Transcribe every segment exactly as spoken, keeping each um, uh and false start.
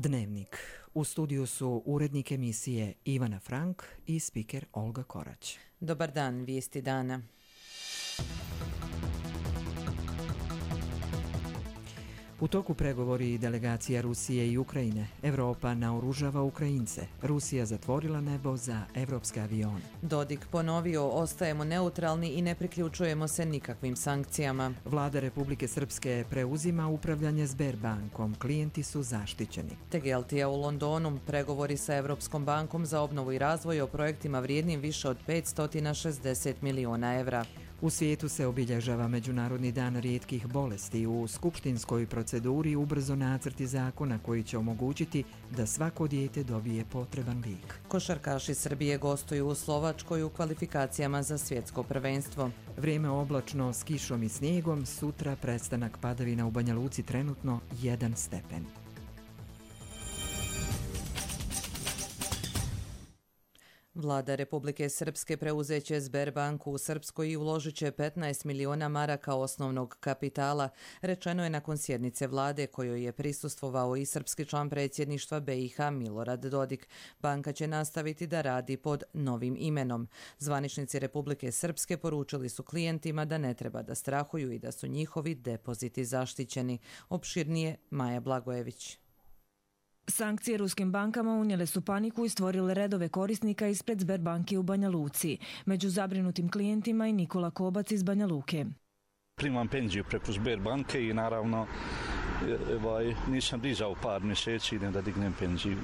Dnevnik. U studiju su urednik emisije Ivana Frank i spiker Olga Korać. Dobar dan, vijesti dana. U toku pregovori delegacija Rusije i Ukrajine. Evropa naoružava Ukrajince. Rusija zatvorila nebo za evropske avione. Dodik ponovio, ostajemo neutralni i ne priključujemo se nikakvim sankcijama. Vlada Republike Srpske preuzima upravljanje Sberbankom. Klijenti su zaštićeni. Tegeltija u Londonu. Pregovori sa Evropskom bankom za obnovu i razvoj o projektima vrijednim više od petsto šezdeset miliona evra. U svijetu se obilježava Međunarodni dan rijetkih bolesti. U skupštinskoj proceduri ubrzo nacrti zakona koji će omogućiti da svako dijete dobije potreban lijek. Košarkaši Srbije gostuju u Slovačkoj u kvalifikacijama za svjetsko prvenstvo. Vrijeme oblačno s kišom i snijegom, sutra prestanak padavina u Banja Luci, trenutno jedan stepen. Vlada Republike Srpske preuzeće Sberbanku u Srpskoj i uložit će petnaest miliona maraka osnovnog kapitala, rečeno je nakon sjednice vlade kojoj je prisustvovao i srpski član predsjedništva B i H Milorad Dodik. Banka će nastaviti da radi pod novim imenom. Zvaničnici Republike Srpske poručili su klijentima da ne treba da strahuju i da su njihovi depoziti zaštićeni. Opširnije Maja Blagojević. Sankcije ruskim bankama unijele su paniku i stvorile redove korisnika ispred Sberbanke u Banja Luci. Među zabrinutim klijentima i Nikola Kobac iz Banja Luke. Primam penziju preko Sberbanke i naravno nisam dizao par mjeseci, idem da dignem penziju.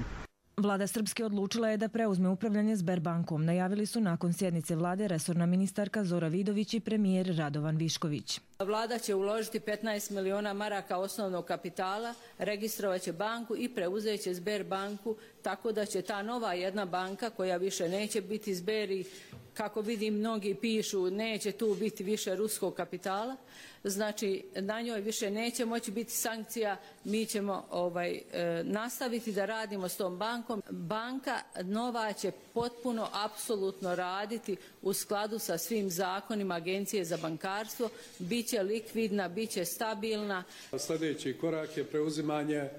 Vlada Srpske odlučila je da preuzme upravljanje Sberbankom. Najavili su nakon sjednice vlade resorna ministarka Zora Vidović i premijer Radovan Višković. Vlada će uložiti petnaest miliona maraka osnovnog kapitala, registrovat će banku i preuzet će Sberbanku, tako da će ta nova jedna banka koja više neće biti Sber i kako vidim mnogi pišu neće tu biti više ruskog kapitala, znači na njoj više neće moći biti sankcija, mi ćemo ovaj, e, nastaviti da radimo s tom bankom. Banka nova će potpuno, apsolutno raditi u skladu sa svim zakonima Agencije za bankarstvo, bit će likvidna, bit će stabilna. Sljedeći korak je preuzimanje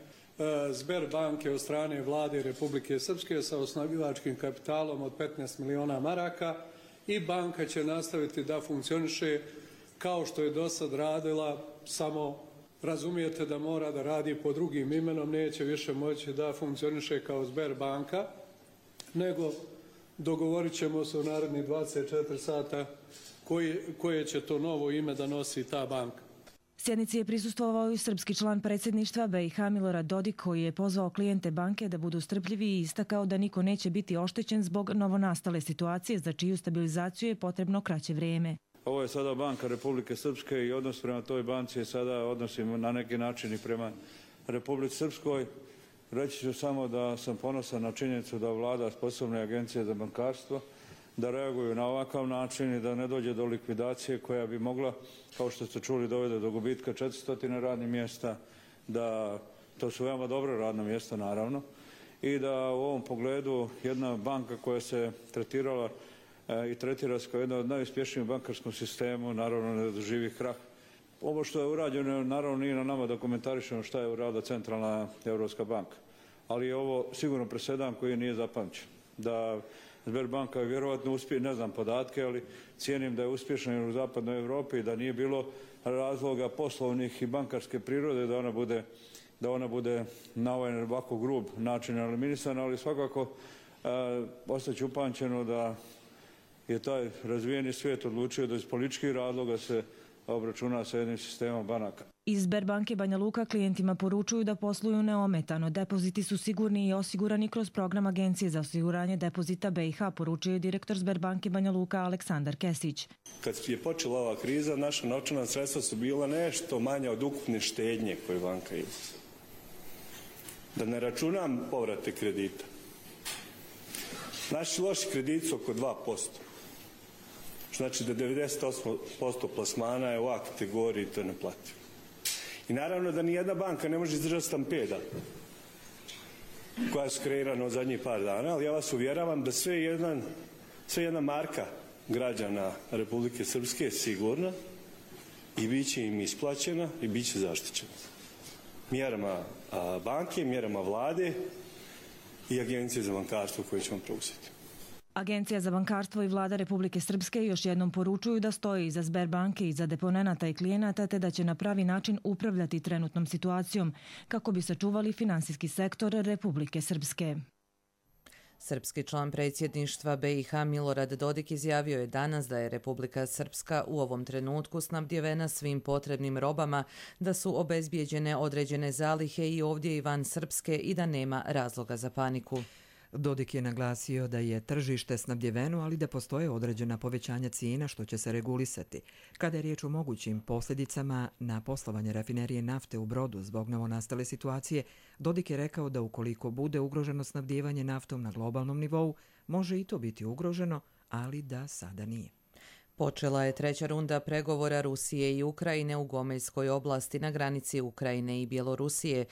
Sberbanke od strane vlade Republike Srpske sa osnivačkim kapitalom od petnaest miliona maraka i banka će nastaviti da funkcioniše kao što je do sad radila, samo razumijete da mora da radi pod drugim imenom, neće više moći da funkcioniše kao Sberbanka, nego dogovorit ćemo se u narednih dvadeset četiri sata koje, koje će to novo ime da nosi ta banka. Sjednici je prisustvovao i srpski član predsjedništva B i H Milorad Dodik koji je pozvao klijente banke da budu strpljivi i istakao da niko neće biti oštećen zbog novonastale situacije za čiju stabilizaciju je potrebno kraće vrijeme. Ovo je sada banka Republike Srpske i odnos prema toj banci je sada odnosimo na neki način i prema Republici Srpskoj. Reći ću samo da sam ponosan na činjenicu da vlada sposobne agencije za bankarstvo da reaguju na ovakav način i da ne dođe do likvidacije koja bi mogla, kao što ste čuli, dovede do gubitka četiristo radnih mjesta, da to su veoma dobra radna mjesta naravno i da u ovom pogledu jedna banka koja se tretirala e, i tretira se kao jedna od najuspješnijih u bankarskom sistemu naravno ne doživi krah. Ovo što je urađeno naravno nije na nama da komentarišemo šta je uradila Centralna Europska banka, ali je ovo sigurno presedan koji nije zapamćen. Da Sberbanka je vjerovatno uspije, ne znam podatke, ali cijenim da je uspješna u zapadnoj Europi i da nije bilo razloga poslovnih i bankarske prirode da ona bude, da ona bude na ovaj ovako grub način eliminisana, ali svakako e, ostaće upamćeno da je taj razvijeni svijet odlučio da iz političkih razloga se obračuna sa jednim sistemom banaka. Iz Sberbanke Banja Luka klijentima poručuju da posluju neometano. Depoziti su sigurni i osigurani kroz program Agencije za osiguranje depozita B i H, poručio je direktor Sberbanke Banja Luka Aleksandar Kesić. Kad je počela ova kriza, naša novčana sredstva su bila nešto manja od ukupne štednje koje banka ima. Da ne računam povrate kredita. Naši loši krediti su oko dva posto. Znači da devedeset osam posto plasmana je u A kategoriji i to je neplativo. I naravno da nijedna banka ne može izdržati stampeda koja su kreirana od zadnjih par dana, ali ja vas uvjeravam da sve, jedan, sve jedna marka građana Republike Srpske je sigurna i bit će im isplaćena i bit će zaštićena. mjerama banke, mjerama vlade i Agencije za bankarstvo koje ćemo preuzeti. Agencija za bankarstvo i vlada Republike Srpske još jednom poručuju da stoji iza Sberbanke i za deponenata i klijenata te da će na pravi način upravljati trenutnom situacijom kako bi sačuvali finansijski sektor Republike Srpske. Srpski član predsjedništva B i H Milorad Dodik izjavio je danas da je Republika Srpska u ovom trenutku snabdjevena svim potrebnim robama, da su obezbijeđene određene zalihe i ovdje i van Srpske i da nema razloga za paniku. Dodik je naglasio da je tržište snabdjeveno, ali da postoje određena povećanja cijena što će se regulisati. Kada je riječ o mogućim posljedicama na poslovanje rafinerije nafte u Brodu zbog novonastale situacije, Dodik je rekao da ukoliko bude ugroženo snabdjevanje naftom na globalnom nivou, može i to biti ugroženo, ali da sada nije. Počela je treća runda pregovora Rusije i Ukrajine u Gomeljskoj oblasti na granici Ukrajine i Bjelorusije.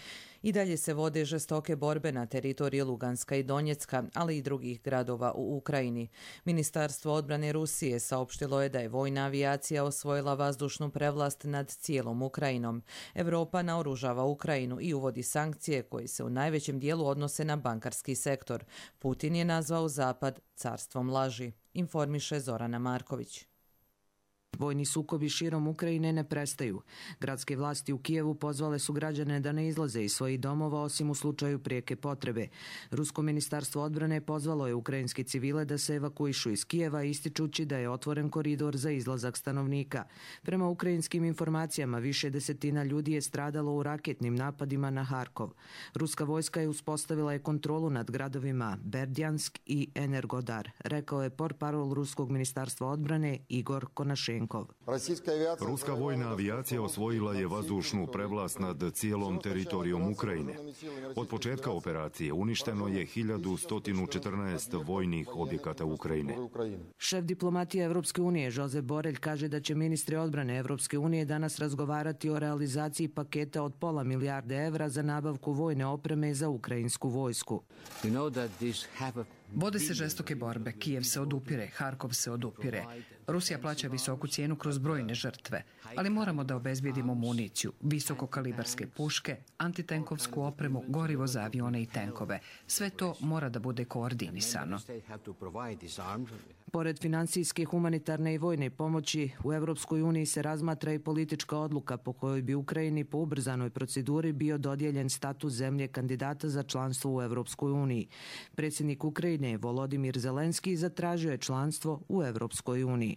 I dalje se vode žestoke borbe na teritoriji Luganska i Donjecka, ali i drugih gradova u Ukrajini. Ministarstvo odbrane Rusije saopštilo je da je vojna avijacija osvojila vazdušnu prevlast nad cijelom Ukrajinom. Evropa naoružava Ukrajinu i uvodi sankcije koje se u najvećem dijelu odnose na bankarski sektor. Putin je nazvao Zapad carstvom laži, informiše Zorana Marković. Vojni sukobi širom Ukrajine ne prestaju. Gradske vlasti u Kijevu pozvale su građane da ne izlaze iz svojih domova osim u slučaju prijeke potrebe. Rusko ministarstvo odbrane pozvalo je ukrajinske civile da se evakuišu iz Kijeva ističući da je otvoren koridor za izlazak stanovnika. Prema ukrajinskim informacijama više desetina ljudi je stradalo u raketnim napadima na Harkov. Ruska vojska je uspostavila je kontrolu nad gradovima Berdjansk i Energodar, rekao je portparol Ruskog ministarstva odbrane Igor Konašenko. Ruska vojna avijacija osvojila je vazdušnu prevlast nad cijelom teritorijom Ukrajine. Od početka operacije uništeno je hiljadu sto četrnaest vojnih objekata Ukrajine. Šef diplomatije Evropske unije Josep Borrell kaže da će ministri odbrane Evropske unije danas razgovarati o realizaciji paketa od pola milijarde evra za nabavku vojne opreme za ukrajinsku vojsku. Vode se žestoke borbe, Kijev se odupire, Harkov se odupire. Rusija plaća visoku cijenu kroz brojne žrtve, ali moramo da obezbijedimo municiju, visokokalibarske puške, antitenkovsku opremu, gorivo za avione i tenkove. Sve to mora da bude koordinisano. Pored financijske, humanitarne i vojne pomoći, u Evropskoj uniji se razmatra i politička odluka po kojoj bi Ukrajini po ubrzanoj proceduri bio dodijeljen status zemlje kandidata za članstvo u Evropskoj uniji. Predsjednik Ukrajine Volodimir Zelenski zatražio je članstvo u Evropskoj uniji.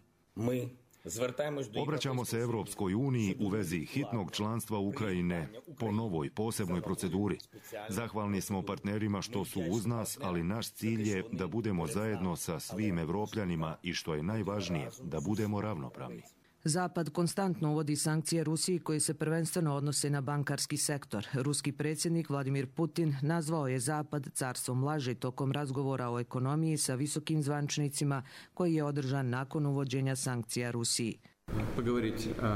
Obraćamo se Evropskoj uniji u vezi hitnog članstva Ukrajine po novoj posebnoj proceduri. Zahvalni smo partnerima što su uz nas, ali naš cilj je da budemo zajedno sa svim Evropljanima i što je najvažnije, da budemo ravnopravni. Zapad konstantno uvodi sankcije Rusiji koje se prvenstveno odnose na bankarski sektor. Ruski predsjednik Vladimir Putin nazvao je Zapad carstvom laži tokom razgovora o ekonomiji sa visokim zvančnicima koji je održan nakon uvođenja sankcija Rusiji.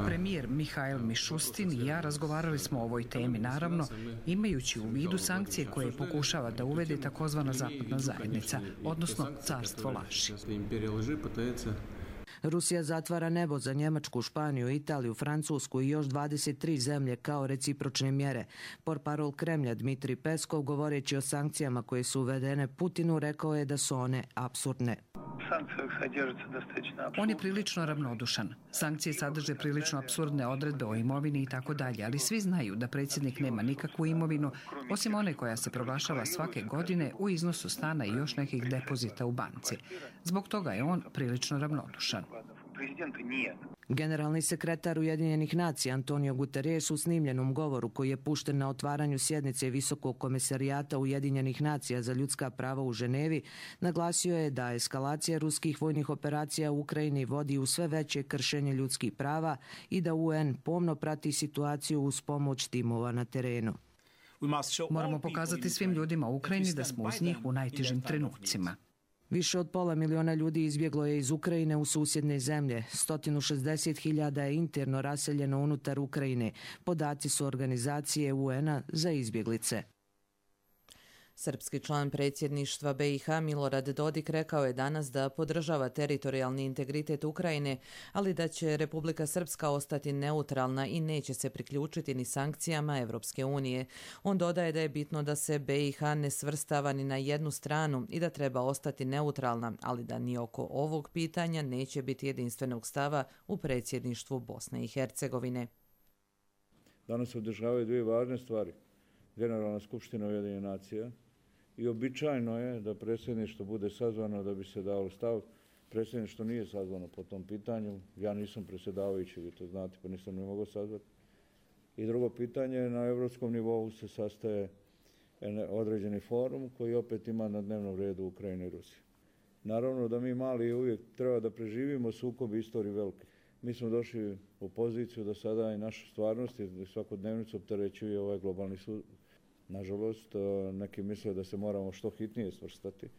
Premijer Mihail Mišustin i ja razgovarali smo o ovoj temi, naravno, imajući u vidu sankcije koje pokušava da uvede takozvana zapadna zajednica, odnosno carstvo laži. Rusija zatvara nebo za Njemačku, Španiju, Italiju, Francusku i još dvadeset tri zemlje kao recipročne mjere. Portparol Kremlja Dmitrij Peskov, govoreći o sankcijama koje su uvedene Putinu, rekao je da su one apsurdne. On je prilično ravnodušan. Sankcije sadrže prilično apsurdne odredbe o imovini i tako dalje, ali svi znaju da predsjednik nema nikakvu imovinu, osim one koja se proglašava svake godine u iznosu stana i još nekih depozita u banci. Zbog toga je on prilično ravnodušan. Generalni sekretar Ujedinjenih nacija Antonio Guterres u snimljenom govoru koji je pušten na otvaranju sjednice Visokog komesarijata Ujedinjenih nacija za ljudska prava u Ženevi naglasio je da eskalacija ruskih vojnih operacija u Ukrajini vodi u sve veće kršenje ljudskih prava i da U N pomno prati situaciju uz pomoć timova na terenu. Moramo pokazati svim ljudima u Ukrajini da smo uz njih u najtežim trenucima. Više od pola miliona ljudi izbjeglo je iz Ukrajine u susjedne zemlje. sto šezdeset hiljada je interno raseljeno unutar Ukrajine. Podaci su organizacije U N-a za izbjeglice. Srpski član predsjedništva B i H Milorad Dodik rekao je danas da podržava teritorijalni integritet Ukrajine, ali da će Republika Srpska ostati neutralna i neće se priključiti ni sankcijama Evropske unije. On dodaje da je bitno da se B i H ne svrstava ni na jednu stranu i da treba ostati neutralna, ali da ni oko ovog pitanja neće biti jedinstvenog stava u predsjedništvu Bosne i Hercegovine. Danas se održavaju dvije važne stvari. Generalna skupština Ujedinjenih nacija i običajno je da predsjedništvo bude sazvano da bi se dao stav. Predsjedništvo nije sazvano po tom pitanju. Ja nisam predsjedavajući, vi to znate, pa nisam ne mogao sazvati. I drugo pitanje, na evropskom nivou se sastaje određeni forum koji opet ima na dnevnom redu Ukrajine i Rusije. Naravno da mi mali uvijek treba da preživimo sukob istoriji velike. Mi smo došli u poziciju da sada i naša stvarnost i svakodnevnicu opterećuje ovaj globalni sud. Nažalost, neki misle da se moramo što hitnije svrstati.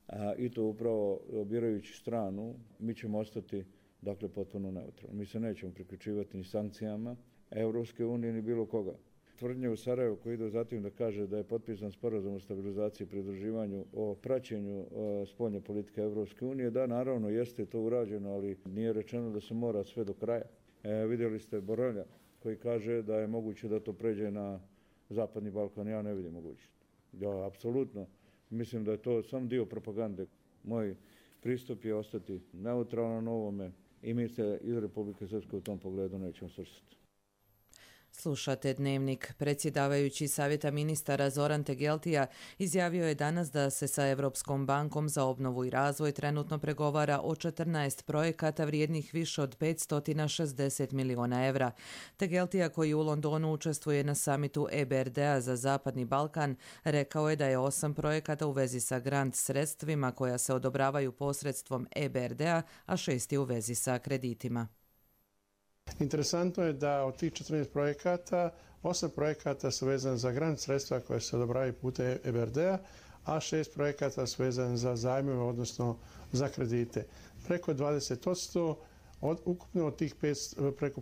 A, I to upravo birajući stranu, mi ćemo ostati dakle potpuno neutralni. Mi se nećemo priključivati ni sankcijama Evropske unije ni bilo koga. Tvrdnje u Sarajevu koji ide zatim da kaže da je potpisan sporazum o stabilizaciji i pridruživanju o praćenju o, spoljne politike Evropske unije, da naravno jeste to urađeno, ali nije rečeno da se mora sve do kraja. E, vidjeli ste Borelja koji kaže da je moguće da to pređe na Zapadni Balkan. Ja ne vidim mogućnost. Ja apsolutno mislim da je to samo dio propagande. Moj pristup je ostati neutralan na ovome i mi se iz Republike Srpske u tom pogledu nećemo svrstati. Slušate Dnevnik. Predsjedavajući Savjeta ministara Zoran Tegeltija izjavio je danas da se sa Europskom bankom za obnovu i razvoj trenutno pregovara o četrnaest projekata vrijednih više od petsto šezdeset miliona evra. Tegeltija, koji u Londonu učestvuje na samitu E B R D-a za Zapadni Balkan, rekao je da je osam projekata u vezi sa grant sredstvima koja se odobravaju posredstvom E B R D-a, a šest je u vezi sa kreditima. Interesantno je da od tih četrnaest projekata, osam projekata su vezani za grant sredstva koje se odobravaju putem E B R D-a, a šest projekata su vezani za zajmove, odnosno za kredite. Preko dvadeset posto od ukupno od tih petsto, preko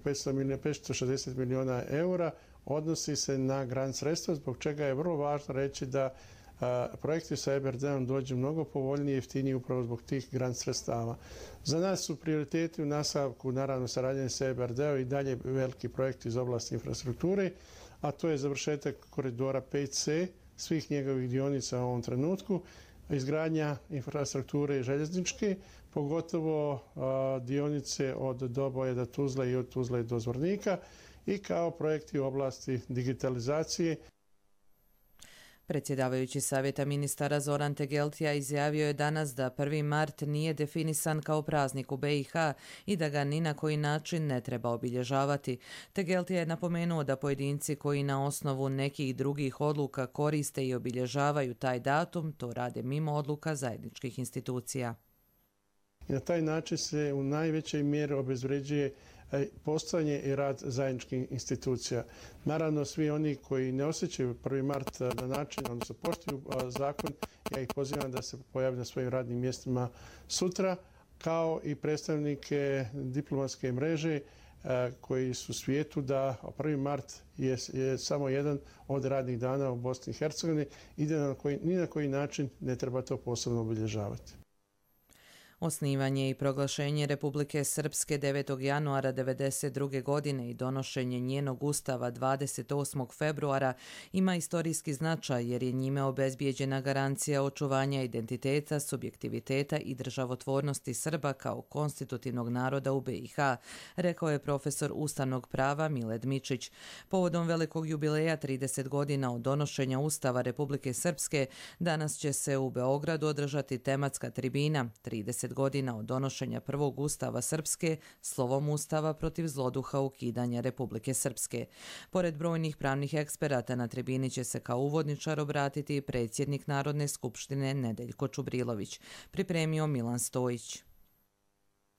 petsto šezdeset miliona eura odnosi se na grant sredstva, zbog čega je vrlo važno reći da a, projekti sa E B R D-om dođu mnogo povoljnije i jeftiniji upravo zbog tih grant sredstava. Za nas su prioriteti u nastavku, naravno, saradnje sa E B R D-om i dalje veliki projekti iz oblasti infrastrukture, a to je završetak koridora pet C, svih njegovih dionica u ovom trenutku, izgradnja infrastrukture željezničke, pogotovo a, dionice od Doboja do Tuzle i od Tuzle do Zvornika, i kao projekti u oblasti digitalizacije. Predsjedavajući Savjeta ministara Zoran Tegeltija izjavio je danas da prvi mart nije definisan kao praznik u B i H i da ga ni na koji način ne treba obilježavati. Tegeltija je napomenuo da pojedinci koji na osnovu nekih drugih odluka koriste i obilježavaju taj datum, to rade mimo odluka zajedničkih institucija. Na taj način se u najvećoj mjeri obezvređuje postojanje i rad zajedničkih institucija. Naravno, svi oni koji ne osjećaju prvi mart na način, odnosno poštuju zakon, ja ih pozivam da se pojave na svojim radnim mjestima sutra, kao i predstavnike diplomatske mreže koji su u svijetu da prvi mart je, je samo jedan od radnih dana u Bosni i Hercegovini i da na koji, ni na koji način ne treba to posebno obilježavati. Osnivanje i proglašenje Republike Srpske devetog januara devedeset druge. godine i donošenje njenog ustava dvadeset osmog februara ima istorijski značaj jer je njime obezbijeđena garancija očuvanja identiteta, subjektiviteta i državotvornosti Srba kao konstitutivnog naroda u B i H, rekao je profesor ustavnog prava Miled Mičić. Povodom velikog jubileja trideset godina od donošenja Ustava Republike Srpske, danas će se u Beogradu održati tematska tribina trideset godina od donošenja prvog Ustava Srpske, slovom Ustava protiv zloduha ukidanja Republike Srpske. Pored brojnih pravnih eksperata, na tribini će se kao uvodničar obratiti predsjednik Narodne skupštine Nedeljko Čubrilović, pripremio Milan Stojić.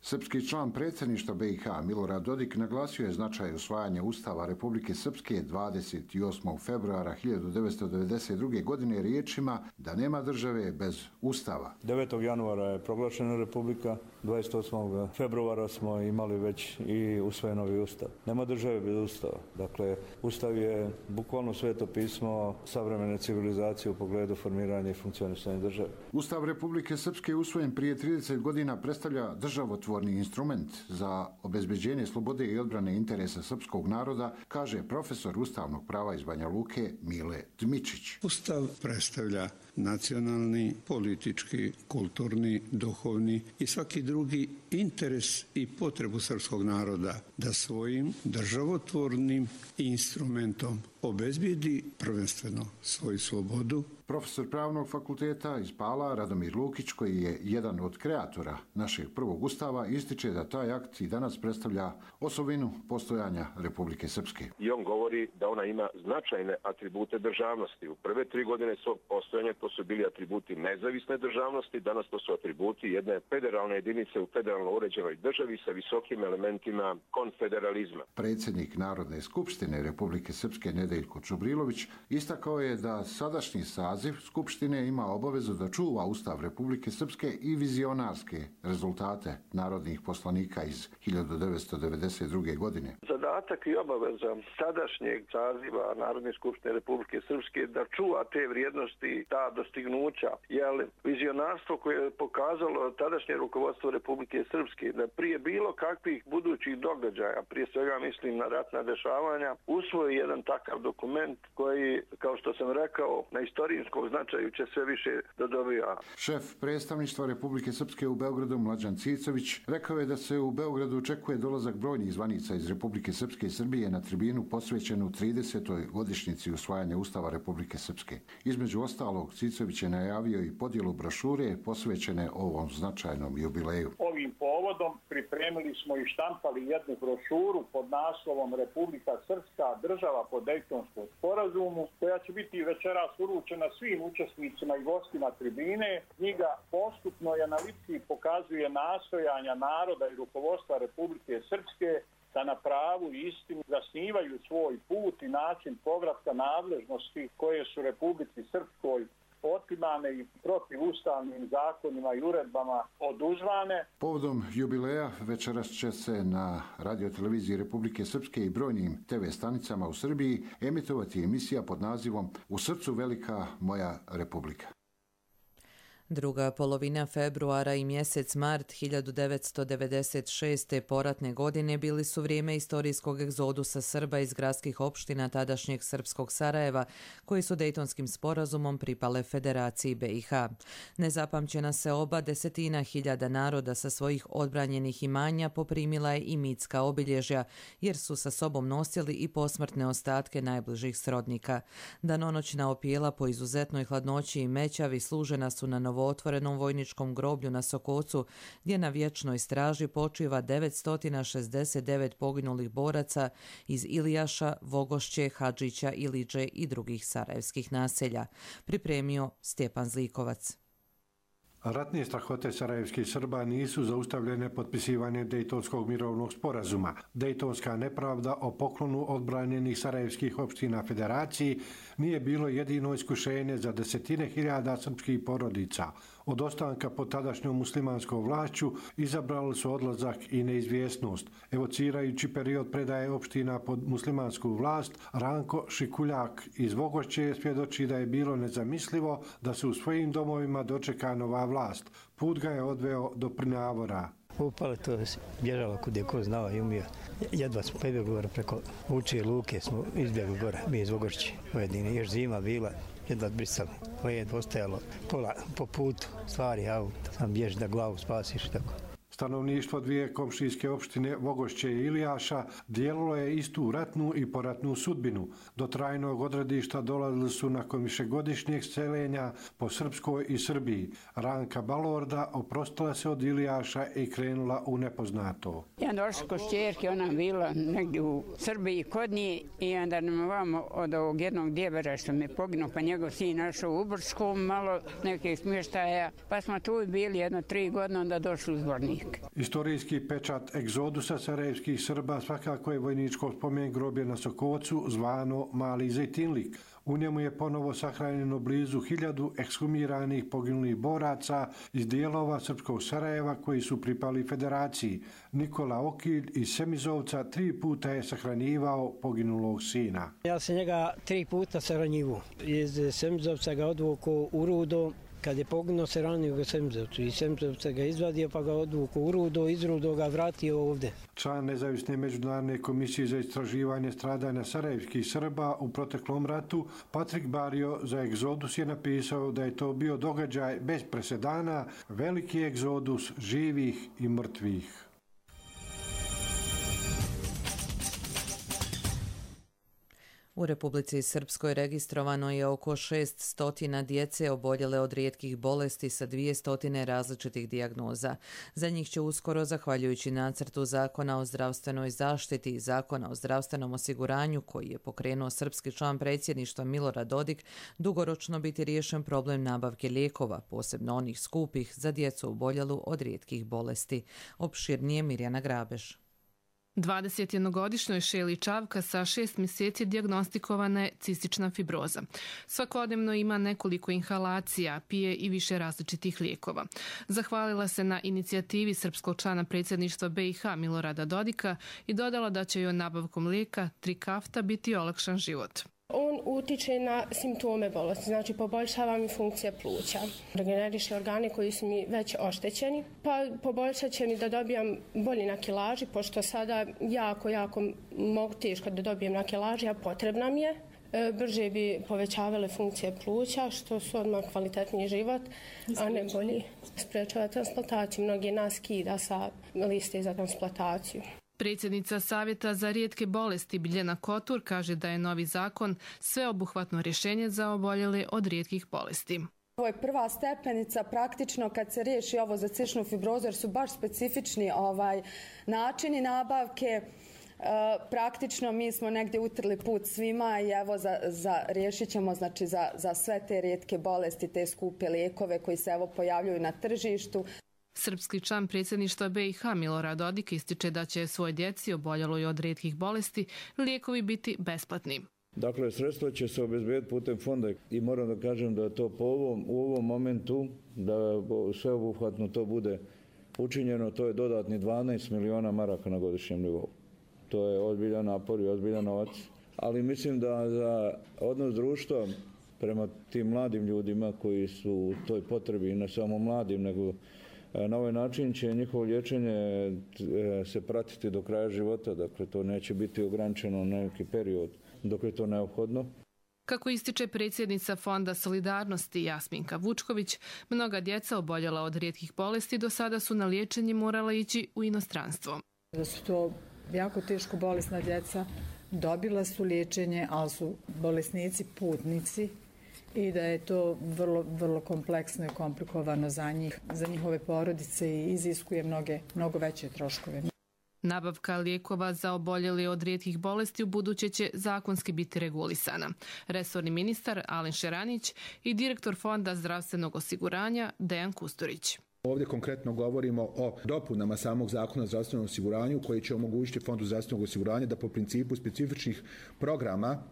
Srpski član predsjedništva B i H Milorad Dodik naglasio je značaj usvajanja Ustava Republike Srpske dvadeset osmog februara hiljadu devetsto devedeset druge. godine riječima da nema države bez Ustava. devetog januara je proglašena Republika, dvadeset osmog februara smo imali već i usvojen novi Ustav. Nema države bez Ustava. Dakle, Ustav je bukvalno sveto pismo savremene civilizacije u pogledu formiranja i funkcionisanja države. Ustav Republike Srpske usvojen prije trideset godina predstavlja državotvorni instrument za obezbeđenje slobode i odbrane interesa srpskog naroda, kaže profesor ustavnog prava iz Banja Luke Mile Dmičić. Ustav predstavlja nacionalni, politički, kulturni, duhovni i svaki drugi interes i potrebu srpskog naroda da svojim državotvornim instrumentom obezbijedi prvenstveno svoju slobodu. Profesor Pravnog fakulteta iz Pala Radomir Lukić, koji je jedan od kreatora našeg prvog ustava, ističe da taj akt i danas predstavlja osobinu postojanja Republike Srpske. I on govori da ona ima značajne atribute državnosti. U prve tri godine svog postojanja to su bili atributi nezavisne državnosti, danas to su atributi jedne federalne jedinice u federalno uređenoj državi sa visokim elementima konfederalizma. Predsjednik Narodne skupštine Republike Srpske Nedeljko Čubrilović istakao je da sadašnji saziv Skupštine ima obavezu da čuva Ustav Republike Srpske i vizionarske rezultate narodnih poslanika iz hiljadu devetsto devedeset druge. godine. Zadatak i obaveza sadašnjeg saziva Narodne skupštine Republike Srpske da čuva te vrijednosti, ta dostignuća, jer vizionarstvo koje je pokazalo tadašnje rukovodstvo Republike Srpske da prije bilo kakvih budućih događaja, prije svega mislim na ratna dešavanja, usvoji jedan takav dokument koji, kao što sam rekao, na istorijskom značaju će sve više da dobija. Šef predstavništva Republike Srpske u Beogradu Mlađan Cicović rekao je da se u Beogradu očekuje dolazak brojnih zvanica iz Republike Srpske i Srbije na tribinu posvećenu tridesetoj godišnjici usvajanja Ustava Republike Srpske. Između ostalog, Cicović je najavio i podjelu brošure posvećene ovom značajnom jubileju. Ovim povodom pripremili smo i štampali jednu brošuru pod naslovom Republika Srpska, država po Dejtonskom sporazumu, koja će biti večeras uručena svim učesnicima i gostima tribine. Knjiga postupno i analitski pokazuje nastojanja naroda i rukovodstva Republike Srpske da na pravu i istinu zasnivaju svoj put i način povratka nadležnosti koje su Republici Srpskoj otimane i protivustavnim zakonima i uredbama oduzvane. Povodom jubileja večeras će se na radioteleviziji Republike Srpske i brojnim te ve stanicama u Srbiji emitovati emisija pod nazivom U srcu velika moja Republika. Druga polovina februara i mjesec mart hiljadu devetsto devedeset šeste. poratne godine bili su vrijeme istorijskog egzodusa Srba iz gradskih opština tadašnjeg srpskog Sarajeva, koji su Dejtonskim sporazumom pripale Federaciji B i H. Nezapamćena se oba desetina hiljada naroda sa svojih odbranjenih imanja poprimila je i mitska obilježja, jer su sa sobom nosili i posmrtne ostatke najbližih srodnika. Danonoćna opijela po izuzetnoj hladnoći i mećavi služena su na novootvorenom vojničkom groblju na Sokocu, gdje na vječnoj straži počiva devetsto šezdeset devet poginulih boraca iz Ilijaša, Vogošće, Hadžića, Iliđe i drugih sarajevskih naselja. Pripremio Stjepan Zlikovac. Ratne strahote sarajevskih Srba nisu zaustavljene potpisivanjem Dejtonskog mirovnog sporazuma. Dejtonska nepravda o poklonu odbranjenih sarajevskih opština Federaciji nije bilo jedino iskušenje za desetine hiljada srpskih porodica. Od ostanka pod tadašnjom muslimanskom vlašću izabrali su odlazak i neizvjesnost. Evocirajući period predaje opština pod muslimansku vlast, Ranko Šikuljak iz Vogošće svjedoči da je bilo nezamislivo da se u svojim domovima dočeka nova vlast. Put ga je odveo do Prnjavora. Upale to bježalo kud je ko znao i umio. Jedva smo pobjegli gore preko Vučije luke, smo izbjegli gore, mi iz Vogošće pojedine. Još zima bila, jedva brisali. Led ostajalo pola po putu, stvari auto, sam bježi da glavu spasiš i tako. Stanovništvo dvije komšijske opštine Vogošće i Ilijaša dijelilo je istu ratnu i poratnu sudbinu. Do trajnog odredišta dolazili su nakon višegodišnjeg seljenja po Srpskoj i Srbiji. Ranka Balorda oprostila se od Ilijaša i krenula u nepoznato. Ja došla kod šćerke, ona bila negdje u Srbiji kod nje i onda nam vamo od ovog jednog djevera što me poginuo, pa njegov sin našao u Brčkom, malo nekih smještaja, pa smo tu bili jedno tri godine, onda došli u Zvornik. lijek. Istorijski pečat egzodusa sarajevskih Srba svakako je vojničko spomen groblje na Sokocu zvano Mali Zejtinlik. U njemu je ponovo sahranjeno blizu hiljadu ekshumiranih poginulih boraca iz dijelova srpskog Sarajeva koji su pripali federaciji. Nikola Okilj iz Semizovca tri puta je sahranjivao poginulog sina. Ja sam njega tri puta sahranjivao. Iz Semizovca ga odvukao u Rudo. Kad je poginuo se ranio ga Semizovcu i Semizovca ga izvadio pa ga odvukao u Rudo, iz Rudo ga vratio ovdje. Član Nezavisne međunarodne komisije za istraživanje stradanja sarajevskih Srba u proteklom ratu, Patrik Bario za egzodus je napisao da je to bio događaj bez presedana, veliki egzodus živih i mrtvih. U Republici Srpskoj registrovano je oko šest stotina djece oboljele od rijetkih bolesti sa dvije stotine različitih dijagnoza. Za njih će uskoro, zahvaljujući nacrtu Zakona o zdravstvenoj zaštiti i Zakona o zdravstvenom osiguranju, koji je pokrenuo srpski član predsjedništva Milorad Dodik, dugoročno biti riješen problem nabavke lijekova, posebno onih skupih za djecu oboljelu od rijetkih bolesti. Opširnije Mirjana Grabeš. dvadesetjednogodišnjoj Šeli Čavka sa šest mjeseci dijagnostikovana je cistična fibroza. Svakodnevno ima nekoliko inhalacija, pije i više različitih lijekova. Zahvalila se na inicijativi srpskog člana predsjedništva B i H Milorada Dodika i dodala da će joj nabavkom lijeka Trikafta biti olakšan život. On utiče na simptome bolesti, znači poboljšava mi funkcija pluća, regeneriše organe koji su mi već oštećeni, pa poboljšat će mi da dobijam bolji na kilaži, pošto sada jako, jako mogu teško da dobijem na kilaži, a potrebna mi je. Brže bi povećavale funkcije pluća, što su odmah kvalitetniji život, a ne bolji. Sprečava transplantaciju, mnogi nas kida sa liste za transplantaciju. Predsjednica Savjeta za rijetke bolesti Biljana Kotur kaže da je novi zakon sveobuhvatno rješenje za oboljele od rijetkih bolesti. Ovo je prva stepenica, praktično kad se riješi ovo za cističnu fibrozu, jer su baš specifični ovaj, načini nabavke. E, praktično mi smo negdje utrli put svima i evo za, za, riješit ćemo znači, za, za sve te rijetke bolesti, te skupe lijekove koji se evo pojavljuju na tržištu. Srpski član predsjedništva B i H Milorad Dodik ističe da će svoj djeci oboljeloj od rijetkih bolesti lijekovi biti besplatni. Dakle, sredstva će se obezbediti putem fonda i moram da kažem da to po ovom, u ovom momentu, da sveobuhvatno to bude učinjeno, to je dodatni dvanaest miliona maraka na godišnjem nivou. To je ozbiljan napor i ozbiljan novac, ali mislim da za odnos društva prema tim mladim ljudima koji su u toj potrebi, ne samo mladim, nego na ovaj način će njihovo liječenje se pratiti do kraja života, dakle to neće biti ograničeno na neki period dok je to neophodno. Kako ističe predsjednica Fonda solidarnosti Jasminka Vučković, mnoga djeca oboljela od rijetkih bolesti do sada su na liječenje morala ići u inostranstvo. Da su to jako teško bolesna djeca, dobila su liječenje, ali su bolesnici putnici i da je to vrlo, vrlo kompleksno i komplikovano za njih, za njihove porodice i iziskuje mnoge, mnogo veće troškove. Nabavka lijekova za oboljeli od rijetkih bolesti u buduće će zakonski biti regulisana. Resorni ministar Alen Šeranić i direktor Fonda zdravstvenog osiguranja Dejan Kusturić. Ovdje konkretno govorimo o dopunama samog zakona o zdravstvenom osiguranju koji će omogućiti Fondu zdravstvenog osiguranja da po principu specifičnih programa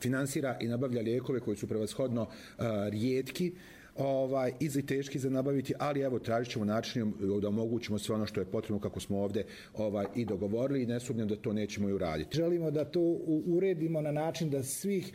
finansira i nabavlja lijekove koji su prevashodno uh, rijetki ovaj, i teški za nabaviti, ali evo tražit ćemo načinom da omogućimo sve ono što je potrebno kako smo ovdje ovaj, i dogovorili i ne sumnjam da to nećemo i uraditi. Želimo da to uredimo na način da svih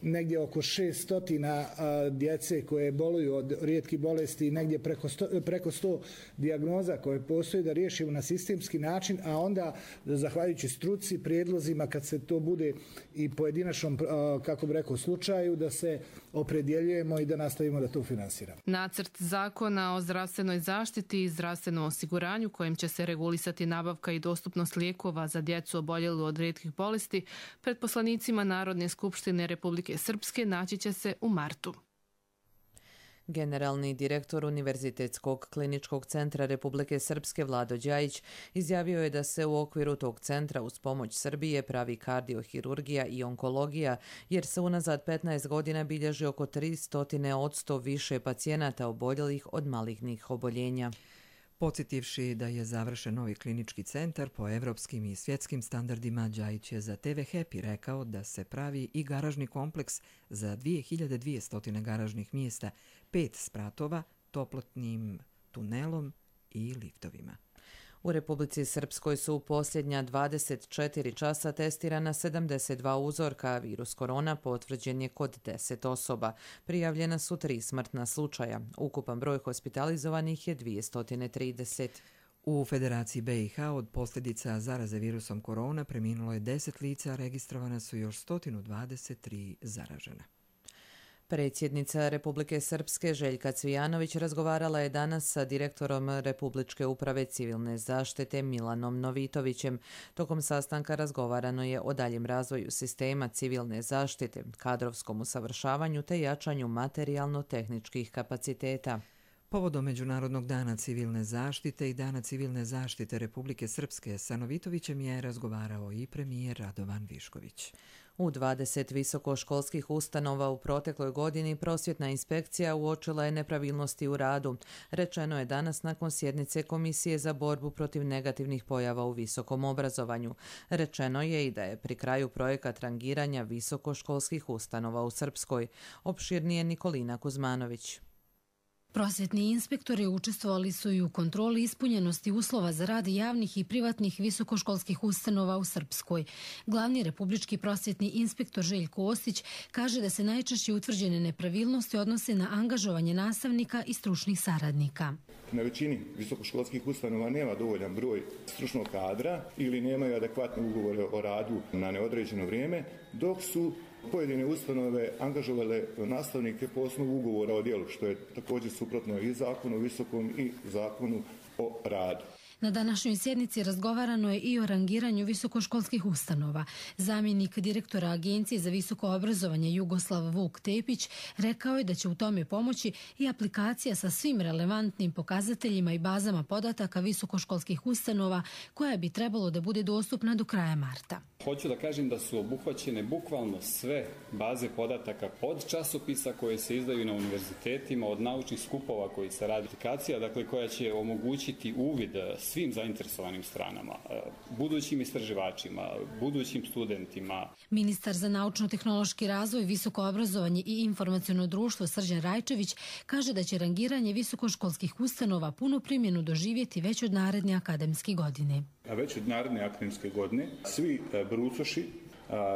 negdje oko šest stotina djece koje boluju od rijetkih bolesti, negdje preko sto, preko sto dijagnoza koje postoje da riješimo na sistemski način, a onda zahvaljujući struci, prijedlozima kad se to bude i pojedinačnom, kako bi rekao, slučaju, da se opredjeljujemo i da nastavimo da to finansiramo. Nacrt zakona o zdravstvenoj zaštiti i zdravstvenom osiguranju kojim će se regulisati nabavka i dostupnost lijekova za djecu oboljelu od rijetkih bolesti pred poslanicima Narodne skupštine Republike Srpske naći će se u martu. Generalni direktor Univerzitetskog kliničkog centra Republike Srpske Vlado Đajić izjavio je da se u okviru tog centra uz pomoć Srbije pravi kardiohirurgija i onkologija, jer se unazad petnaest godina bilježi oko tristo odsto više pacijenata oboljelih od malignih oboljenja. Podsjetivši da je završen novi klinički centar po evropskim i svjetskim standardima, Đajić je za te ve Happy rekao da se pravi i garažni kompleks za dvije hiljade dvjesto garažnih mjesta, pet spratova, toplotnim tunelom i liftovima. U Republici Srpskoj su u posljednja dvadeset četiri časa testirana sedamdeset dva uzorka, a virus korona potvrđen je kod deset osoba. Prijavljena su tri smrtna slučaja. Ukupan broj hospitalizovanih je dvjesto trideset. U Federaciji be i ha od posljedica zaraze virusom korona preminulo je deset lica, registrovana su još sto dvadeset tri zaražena. Predsjednica Republike Srpske Željka Cvijanović razgovarala je danas sa direktorom Republičke uprave civilne zaštite Milanom Novitovićem. Tokom sastanka razgovarano je o daljem razvoju sistema civilne zaštite, kadrovskom usavršavanju te jačanju materijalno-tehničkih kapaciteta. Povodom Međunarodnog dana civilne zaštite i Dana civilne zaštite Republike Srpske sa Novitovićem je razgovarao i premijer Radovan Višković. U dvadeset visokoškolskih ustanova u protekloj godini prosvjetna inspekcija uočila je nepravilnosti u radu. Rečeno je danas nakon sjednice Komisije za borbu protiv negativnih pojava u visokom obrazovanju. Rečeno je i da je pri kraju projekat rangiranja visokoškolskih ustanova u Srpskoj. Opširnije Nikolina Kuzmanović. Prosvjetni inspektori učestvovali su i u kontroli ispunjenosti uslova za rad javnih i privatnih visokoškolskih ustanova u Srpskoj. Glavni republički prosvjetni inspektor Željko Ostić kaže da se najčešće utvrđene nepravilnosti odnose na angažovanje nastavnika i stručnih saradnika. Na većini visokoškolskih ustanova nema dovoljan broj stručnog kadra ili nemaju adekvatne ugovore o radu na neodređeno vrijeme, dok su pojedine ustanove angažovale nastavnike po osnovu ugovora o djelu, što je također suprotno i zakonu o visokom i zakonu o radu. Na današnjoj sjednici razgovarano je i o rangiranju visokoškolskih ustanova. Zamjenik direktora Agencije za visoko obrazovanje Jugoslav Vuk Tepić rekao je da će u tome pomoći i aplikacija sa svim relevantnim pokazateljima i bazama podataka visokoškolskih ustanova koja bi trebalo da bude dostupna do kraja marta. Hoću da kažem da su obuhvaćene bukvalno sve baze podataka od časopisa koje se izdaju na univerzitetima, od naučnih skupova koji se radi aplikacija, dakle koja će omogućiti uvid svim zainteresovanim stranama, budućim istraživačima, budućim studentima. Ministar za naučno-tehnološki razvoj, visoko obrazovanje i informaciono društvo Srđan Rajčević kaže da će rangiranje visokoškolskih ustanova punu primjenu doživjeti već od naredne akademske godine. A već od naredne akademske godine svi brucoši,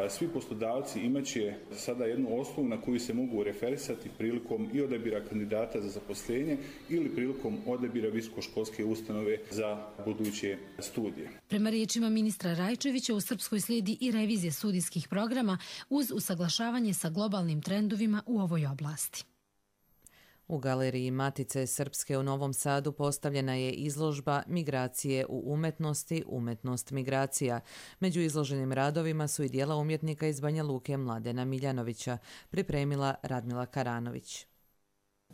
svi poslodavci imaće sada jednu osnovu na koju se mogu referisati prilikom i odabira kandidata za zaposlenje ili prilikom odabira visokoškolske ustanove za buduće studije. Prema riječima ministra Rajčevića, u Srpskoj slijedi i revizija studijskih programa uz usaglašavanje sa globalnim trendovima u ovoj oblasti. U galeriji Matice Srpske u Novom Sadu postavljena je izložba Migracije u umetnosti, umetnost migracija. Među izloženim radovima su i dijela umjetnika iz Banja Luke Mladena Miljanovića, pripremila Radmila Karanović.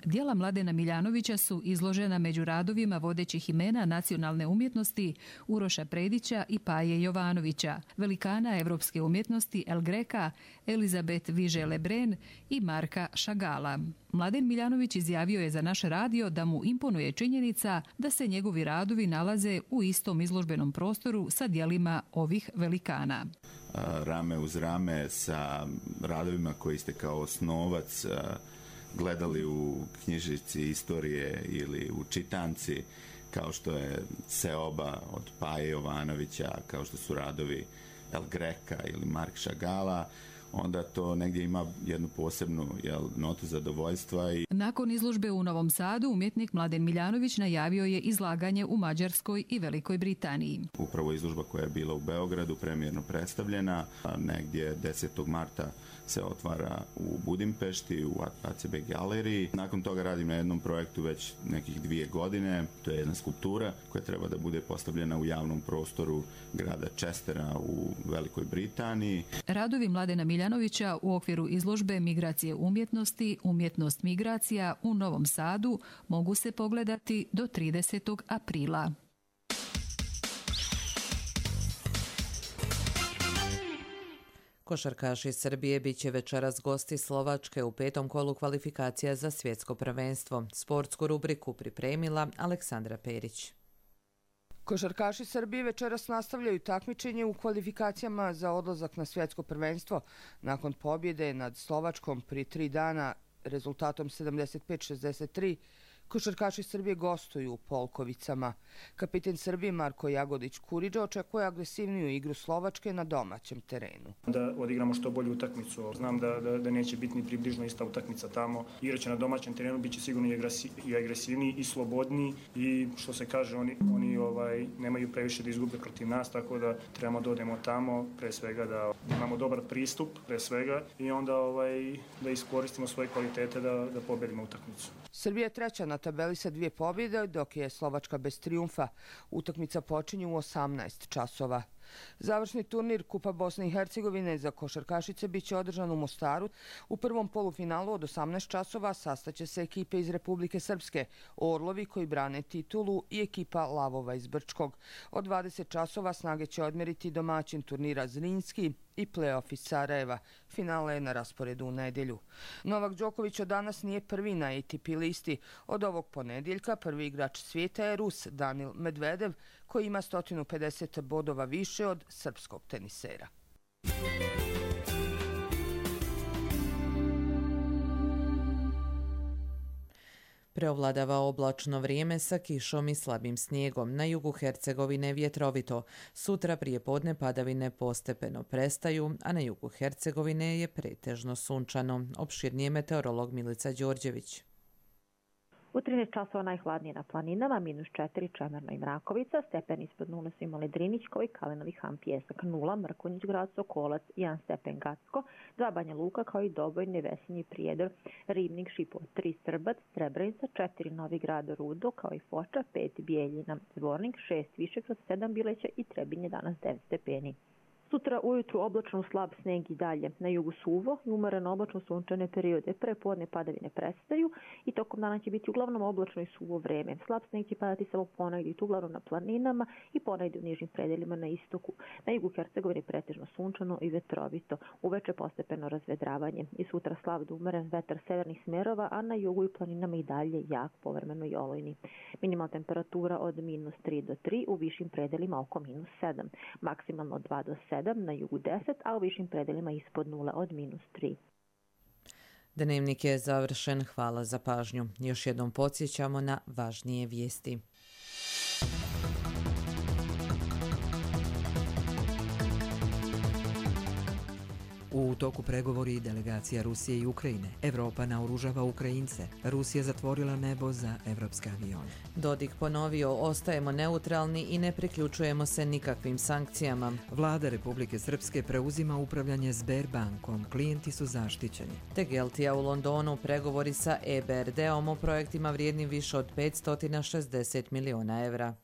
Dijela Mladena Miljanovića su izložena među radovima vodećih imena nacionalne umjetnosti Uroša Predića i Paje Jovanovića, velikana evropske umjetnosti El Greka, Elizabet Viže-Lebren i Marka Šagala. Mladen Miljanović izjavio je za naš radio da mu imponuje činjenica da se njegovi radovi nalaze u istom izložbenom prostoru sa dijelima ovih velikana. Rame uz rame sa radovima koji ste kao osnovac gledali u knjižici istorije ili u čitanci, kao što je Seoba od Paje Jovanovića, kao što su radovi El Greka ili Mark Šagala, onda to negdje ima jednu posebnu jel, notu zadovoljstva. I... Nakon izložbe u Novom Sadu, umjetnik Mladen Miljanović najavio je izlaganje u Mađarskoj i Velikoj Britaniji. Upravo izložba koja je bila u Beogradu premijerno predstavljena, a negdje desetog marta se otvara u Budimpešti, u a ce be galeriji. Nakon toga radim na jednom projektu već nekih dvije godine. To je jedna skulptura koja treba da bude postavljena u javnom prostoru grada Chestera u Velikoj Britaniji. Radovi Mladena Miljanovića u okviru izložbe Migracije umjetnosti, umjetnost migracija u Novom Sadu mogu se pogledati do tridesetog aprila. Košarkaši Srbije bit će večeras gosti Slovačke u petom kolu kvalifikacija za svjetsko prvenstvo. Sportsku rubriku pripremila Aleksandra Perić. Košarkaši Srbije večeras nastavljaju takmičenje u kvalifikacijama za odlazak na svjetsko prvenstvo. Nakon pobjede nad Slovačkom prije tri dana rezultatom sedamdeset pet šezdeset tri, košarkaši Srbije gostuju u Polkovicama. Kapiten Srbije Marko Jagodić-Kuriđa očekuje agresivniju igru Slovačke na domaćem terenu. Da odigramo što bolju utakmicu. Znam da, da, da neće biti ni približno ista utakmica tamo. Igraće na domaćem terenu, bit će sigurno i, agresi, i agresivniji i slobodniji i što se kaže, oni, oni ovaj, nemaju previše da izgube protiv nas, tako da trebamo da odemo tamo, pre svega da imamo dobar pristup, pre svega, i onda ovaj, da iskoristimo svoje kvalitete da, da pobedimo utakmicu. Srbija je treća na tabeli sa dvije pobjede, dok je Slovačka bez trijumfa. Utakmica počinje u osamnaest časova. Završni turnir Kupa Bosne i Hercegovine za košarkašice biće održan u Mostaru. U prvom polufinalu od osamnaest časova sastaće se ekipe iz Republike Srpske, Orlovi koji brane titulu i ekipa Lavova iz Brčkog. Od dvadeset časova snage će odmeriti domaćin turnira Zrinski i play-off iz Sarajeva. Finale je na rasporedu u nedjelju. Novak Đoković od danas nije prvi na A T P listi. Od ovog ponedjeljka prvi igrač svijeta je Rus Danil Medvedev, koji ima sto pedeset bodova više od srpskog tenisera. Preovladava oblačno vrijeme sa kišom i slabim snijegom. Na jugu Hercegovine vjetrovito. Sutra prije podne padavine postepeno prestaju, a na jugu Hercegovine je pretežno sunčano. Opširnije meteorolog Milica Đorđević. U trinaest časova najhladnije na planinama, minus četiri Čemerna i Mrakovica, stepen ispod nule su imali Drinić, i Kalinovi Han Pjesak, nula, Mrkonjić grad Sokolac, jedan stepen Gacko, dva Banja Luka kao i Doboj, Nevesinji Prijedor, Ribnik, Šipovo, tri Srbac, Srebrenica, četiri Novi grad Rudo kao i Foča, pet Bijeljina, Zvornik, šest Višegrad, sedam Bileća i Trebinje, danas devet stepeni. Sutra ujutru oblačno slab sneg i dalje. Na jugu suvo i umereno oblačno sunčane periode. Prepodne padavine prestaju i tokom dana će biti uglavnom oblačno i suvo vreme. Slab sneg će padati samo ponegdje, uglavnom na planinama i ponegdje u nižim predelima na istoku. Na jugu Hercegovine pretežno sunčano i vetrovito. Uveče postepeno razvedravanje. I sutra slab do umeren vetar severnih smjerova, a na jugu i planinama i dalje jak, povremeno i olujni. Minimalna temperatura od minus tri do tri, u višim predelima oko minus sedam. Maksimalno od dva do sedam. Na jugu deset, a u višim predelima ispod nula od minus tri. Dnevnik je završen. Hvala za pažnju. Još jednom podsjećamo na važnije vijesti. U toku pregovori delegacija Rusije i Ukrajine. Evropa naoružava Ukrajince. Rusija zatvorila nebo za evropske avione. Dodik ponovio, ostajemo neutralni i ne priključujemo se nikakvim sankcijama. Vlada Republike Srpske preuzima upravljanje Sberbankom. Klijenti su zaštićeni. Tegeltija u Londonu, pregovori sa E B R D-om o projektima vrijednim više od petsto šezdeset miliona evra.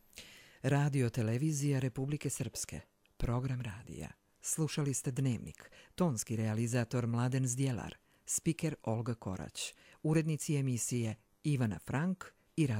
Radio televizija Republike Srpske. Program radija. Slušali ste Dnevnik, tonski realizator Mladen Zdjelar, spiker Olga Korać, urednici emisije Ivana Frank i Rado